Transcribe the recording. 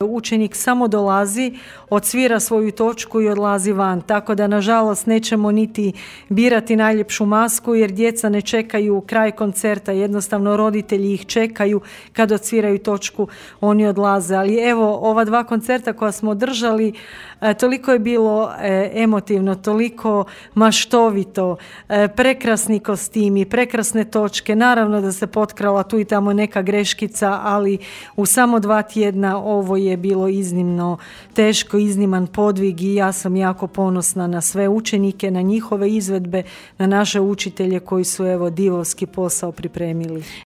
Učenik samo dolazi, odsvira svoju točku i odlazi van, tako da nažalost nećemo niti birati najljepšu masku jer djeca ne čekaju kraj koncerta, jednostavno roditelji ih čekaju kad odsviraju točku, oni odlaze. Ali evo, ova 2 koncerta koja smo održali, toliko je bilo emotivno, toliko maštovito, prekrasni kostimi, prekrasne točke, naravno da se potkrala tu i tamo neka greškica, ali u samo 2 tjedna ovo je bilo iznimno teško, izniman podvig i ja sam jako ponosna na sve učenike, na njihove izvedbe, na naše učitelje koji su evo divovski posao pripremili.